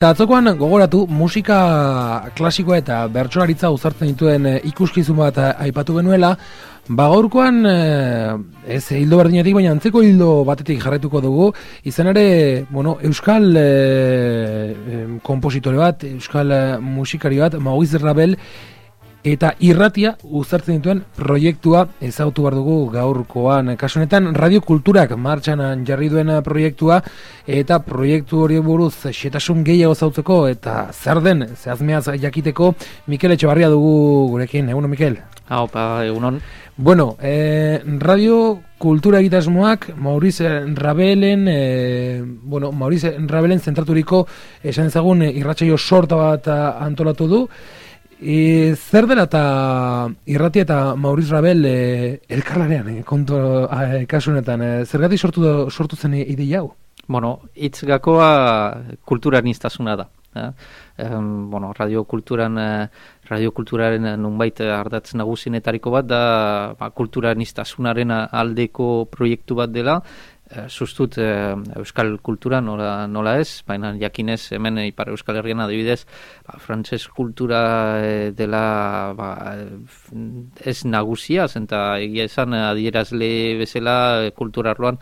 Atzokoan gogoratu musika klasikoa eta bertsolaritza uzartzen dituen ikuskizun bat aipatu genuela, gaurkoan ez hildo berdinetik, baina antzeko hildo batetik jarraituko dugu, izan ere, euskal kompositore bat, euskal musikari bat, Maurice Ravel, eta irratia uzartzen dituen proiektua ezagutu behar dugu gaurkoan. Kasu honetan Radio Kulturak martxan jarri duen proiektua, eta proiektu hori buruz xetasun gehiago zautzeko eta zer den zehazmeaz jakiteko Mikel Etxebarria dugu gurekin. Egunon, Mikel? Opa, egunon. Bueno, Radio Kultura egitasmoak Maurice Ravelen zentraturiko esan ezagun irratsaio sorta bat antolatu du. Zer dela eta irratia eta Maurice Ravel elkarlanean kasu honetan, zergatik sortu zen ideia hau? Hitz gakoa kulturaniztasuna da. Radio Kulturaren nunbait ardatz nagusienetariko bat da kulturaniztasunaren aldeko proiektu bat dela. Sustut euskal kultura nola ez, baina jakinez hemen Ipar Euskal Herrian adibidez frantses kultura dela ez nagusia, zenta egia esan adierazle bezala kultura arloan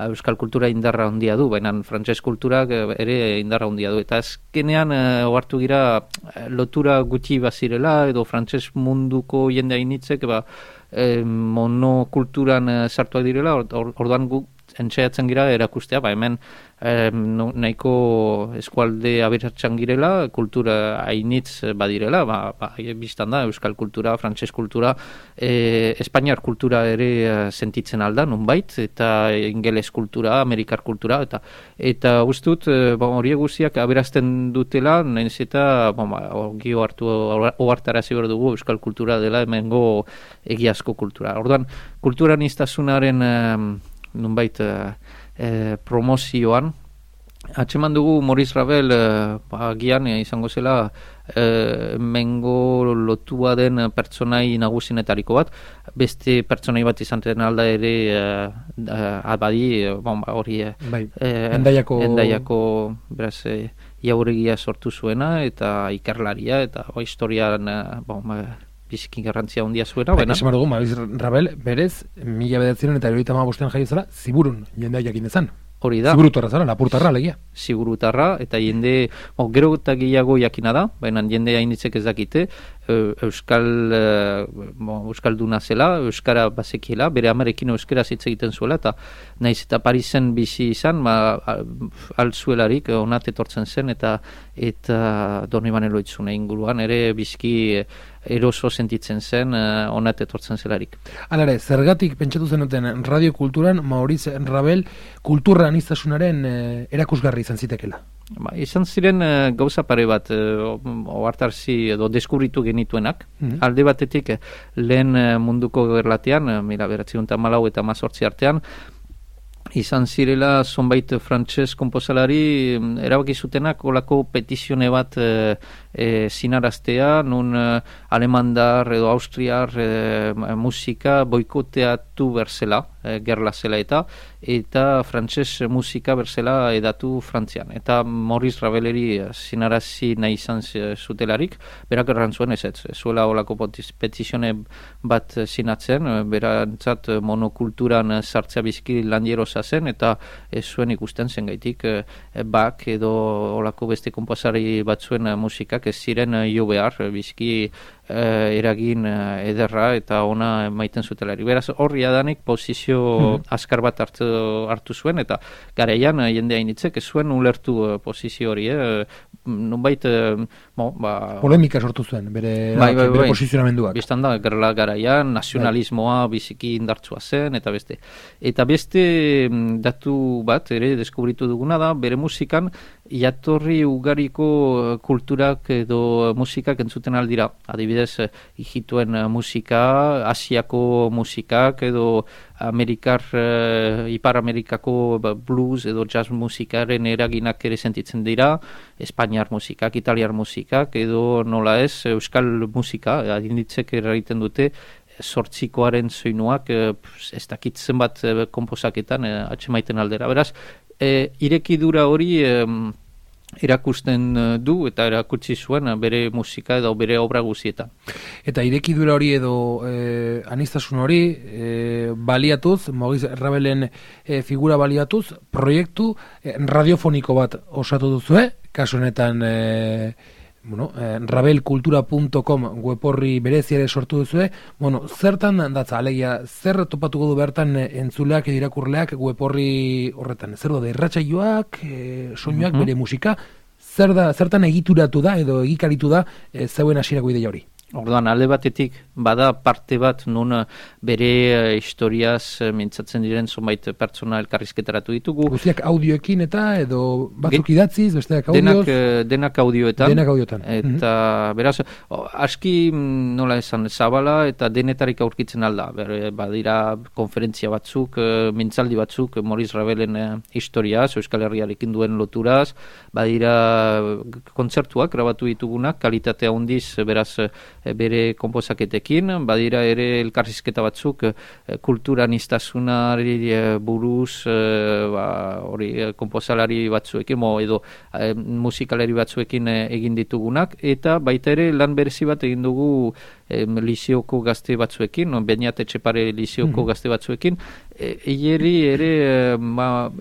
euskal kultura indarra handia du, baina frantses kulturak ere indarra handia du, eta azkenean ohartu gira lotura gutxi bazirela edo frantses munduko jende hainitzek monokulturan sartuak direla, orduan guk entxeatzen gira erakustea, hemen nahiko eskualde aberatsan girela, kultura hainitz badirela, biztan da, euskal kultura, frantses kultura, espainiar kultura ere sentitzen alda, nunbait, eta ingeles kultura, amerikar kultura, eta ustut, horiek guztiak aberazten dutela, nahiz eta, gio ohartarazi behar dugu, euskal kultura dela hemengo egiazko kultura. Orduan, kulturaniztasunaren nunbait promozioan atxeman dugu Maurice Ravel agian izango zela mengo lotua den pertsonai nagusienetariko bat, beste pertsonai bat izan den alda ere abadi hori endaiako beraz jauregia sortu zuena eta ikerlaria eta historian biziki garrantzia handia zuena. Esan dugu, Maurice Ravel, berez, 1975 jaio zela, Ziburun jendea jakin dezan. Hori da. Ziburutarra zara, Lapurtarra, alegia. Ziburutarra, eta jende, gero eta gehiago jakina da, baina jende hainitzek ez dakite, euskalduna zela, euskara bazekiela, bere amarekin euskara hitz egiten zuela, eta naiz eta Parisen bizi izan, altzuelarik onat etortzen zen, eta Donibane Loitzune inguruan, ere bizki eroso sentitzen zen, onat etortzen zelarik. Alare, zergatik pentsatu zenuten Radio Kulturan Maurice Ravel kulturaniztasunaren erakusgarri izan zitekela? Izan ziren gauza pare bat ohartarazi edo deskubritu genituenak. Alde batetik lehen munduko gerlatean, 1914 eta 1918 artean, izan zirela zonbait frantses konposalari erabaki zutenak olako petizione bat zinaraztea, nun alemandar edo austriar musika boikoteatu berzela, gerla zela eta frantses musika berzela edatu Frantzian. Eta Maurice Raveleri zinarazi nahi izan zutelarik, berak errantzuen ez zuela olako petizione bat zinatzen, berantzat monokulturan sartzea bizki landierosa zen, eta ez zuen ikusten zen gaitik bak edo olako beste konposari batzuen musikak ez ziren jo behar, bizki eragin ederra eta ona maiten zutelarik. Beraz, horri adanik posizio azkar bat hartu zuen, eta garaian jende hainitzek ez zuen ulertu posizio hori. Nunbait, polemika sortu zuen, bere posizionamenduak. Bistan da, gerla garaian, nazionalismoa biziki indartsua zen, eta beste. Eta beste datu bat, ere, deskubritu duguna da, bere musikan, jatorri ugariko kulturak edo musikak entzuten aldira. Adibidez, hijituen musika, Asiako musikak edo Ipar Amerikako blues edo jazz musikaren eraginak ere sentitzen dira, Espainiar musikak, Italiar musikak edo nola ez, euskal musika, adinditzek eragiten dute, sortzikoaren soinuak ez dakitzen bat konposaketan atxemaiten aldera. Beraz, irekidura hori erakusten du eta erakutsi zuen bere musika edo bere obra guzietan. Eta irekidura hori edo anistasun hori baliatuz, Maurice Rabelen figura baliatuz, proiektu radiofoniko bat osatu duzue, kasu honetan rabelkultura.com weborri bereziare sortu duzue. Zertan datza, alegia, zer topatuko du bertan entzuleak edo irakurleak weborri horretan? Zer da, irratsaioak, soinuak, bere musika? Zertan egituratu da edo egikaritu da zeuen hasierako ideia hori? Orduan, alde batetik, bada parte bat nun bere historiaz mintzatzen diren zonbait pertsona elkarrizketaratu ditugu. Guztiak audioekin eta edo batzuk idatziz, besteak audioz? Denak audioetan. Denak audioetan. Eta, beraz, aski nola esan, zabala eta denetarik aurkitzen alda. Badira konferentzia batzuk, mintzaldi batzuk, Maurice Rabelen historiaz, Euskal Herriarekin duen loturaz, badira kontzertuak grabatu ditugunak, kalitatea handiz, beraz, bere konposaketekin, badira ere elkarrizketa batzuk kulturanistasunari buruz konposalari batzuekin edo musikalari batzuekin egin ditugunak, eta baita ere lan berezi bat egin dugu Lizioko gazte batzuekin, Beñat Etxepare Lizioko gazte batzuekin, eieri ere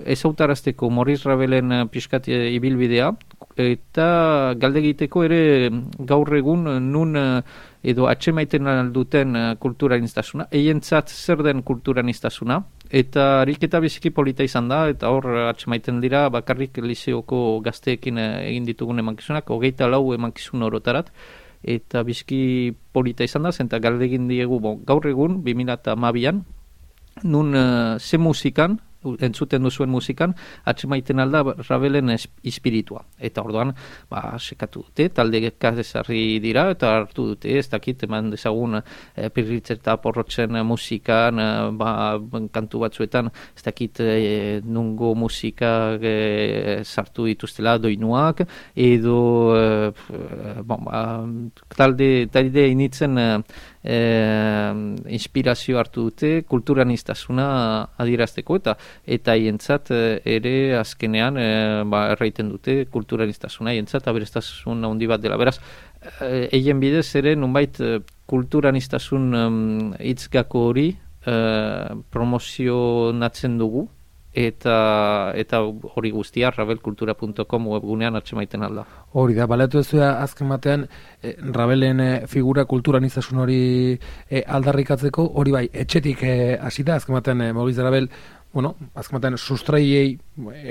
ezautarazteko Maurice Rabelen pixkat ibilbidea, eta galdegiteko ere gaur egun nun edo atxemaiten alduten kulturanistasuna, eientzat zer den kulturanistasuna, eta ariketa biziki polita izan da, eta hor atxemaiten dira bakarrik Lizioko gazteekin egin ditugun emankizunak, 24 emankizun orotarat, eta biziki polita izan da, zenta galdegin diegu gaur egun, 2012an, nun ze musikan, entzuten duzuen musikan, atxemaiten alda Rabelen espiritua. Eta orduan, sekatu dute, talde ezarri dira, eta hartu dute, ez dakit, eman dezagun Pirritz eta Porrotzen musikan, kantu batzuetan, ez dakit nungo musika sartu dituztela doinuak, edo talde initzen inspirazio hartu dute kulturanistasuna adierazteko eta hientzat ere azkenean erraiten dute kulturanistasuna hientzat aberestasun handi bat dela. Beraz, eien bidez ere nunbait kulturanistasun hitzgako hori promozionatzen dugu, eta hori guztia rabelkultura.com webgunean atxemaiten alda. Hori da, baleatu ez azken batean Rabelen figura kulturanistasun hori aldarrikatzeko, hori bai, etxetik hasi da, azken batean Maurice Rabel, azken batean sustraiei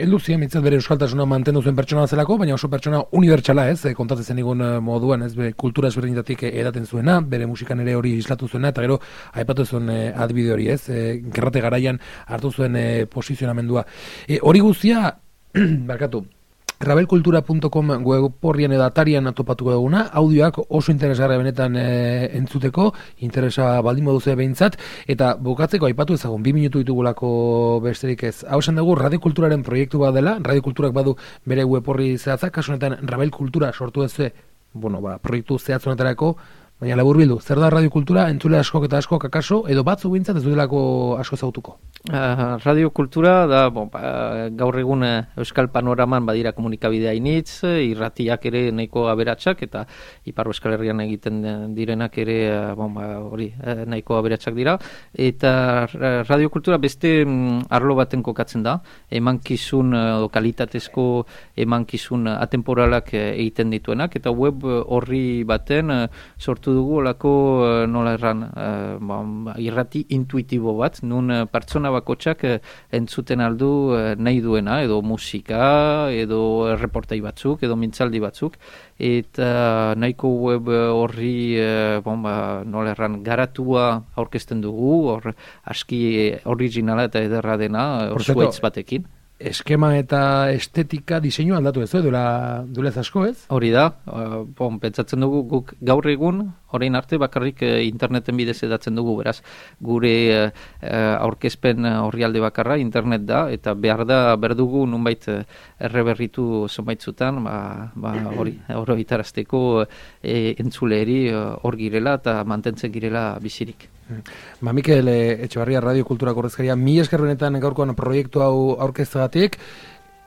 elduzien mitzat bere euskaltasuna mantendu zuen pertsona zelako, baina oso pertsona unibertsala kontatzen zen egun moduan, kultura ezberdinetatik edaten zuena, bere musikan ere hori islatu zuena, eta gero aipatu zuen adibide hori, gerrate garaian hartu zuen posizionamendua. Hori guztia, barkatu, rabelkultura.com weborrian edo atarian topatuko duguna, audioak oso interesgarria benetan entzuteko, interesa baldin moduzea behintzat, eta bukatzeko aipatu ezagun, 2 minutu ditugulako besterik ez. Hau esan dugu, radiokulturaren proiektu bat dela, radiokulturak badu bere weborri zehatzak, kasu honetan Rabelkultura sortu ez proiektu zehatzonetarako, baina labur bildu, zer da radiokultura, entzule askok eta askok akaso, edo batzu bintzat ez dutelako asko zautuko? Radiokultura da, gaur egun Euskal Panoraman badira komunikabidea initz, irratiak ere nahiko aberatsak, eta Ipar Euskal Herrian egiten direnak ere hori nahiko aberatsak dira, eta radiokultura beste arlo baten kokatzen da, emankizun, kalitatezko emankizun atemporalak egiten dituenak, eta web horri baten sortu dugu olako nola erran irrati intuitibo bat, nun pertsona bakotxak entzuten aldu nahi duena, edo musika, edo reportai batzuk, edo mintzaldi batzuk, eta nahiko web horri nola erran garatua aurkezten dugu, hor aski originala eta ederra dena, zuaitz batekin. Eskema eta estetika diseinu aldatu ez, duela asko ez? Hori da, pentsatzen dugu guk gaur egun, orain arte bakarrik interneten bidez edatzen dugu, beraz, gure aurkezpen orrialde bakarra internet da, eta behar dugu nunbait erreberritu zonbaitzutan, hori, oroitarazteko entzuleri hor girela eta mantentzen girela bizirik. Mikel Etxebarria, Radio Kultura Korrezkaria, 1000 esker benetan gaurkoan proiektu hau aurkezteagatik,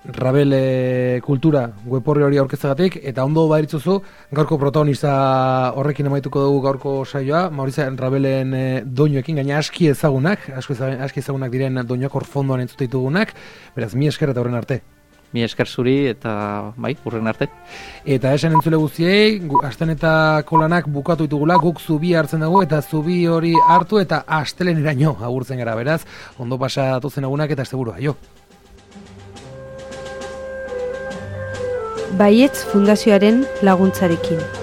Rabel kultura web hori aurkezteagatik, eta ondo baritzuzu, gaurko protagonista horrekin amaituko dugu gaurko saioa, Maurice Rabelen doinuekin, gaina aski ezagunak diren doinuak hor fondoan entzute ditugunak, beraz, mi esker eta horren arte. Mi esker zuri eta urren arte. Eta esan entzule guztiei, astenetako lanak bukatu ditugula, guk zubi hartzen dugu eta zubi hori hartu eta asteleneraino agurtzen gara, beraz, ondo pasa datozen egunak eta asteburua, jo. Baietz Fundazioaren laguntzarekin.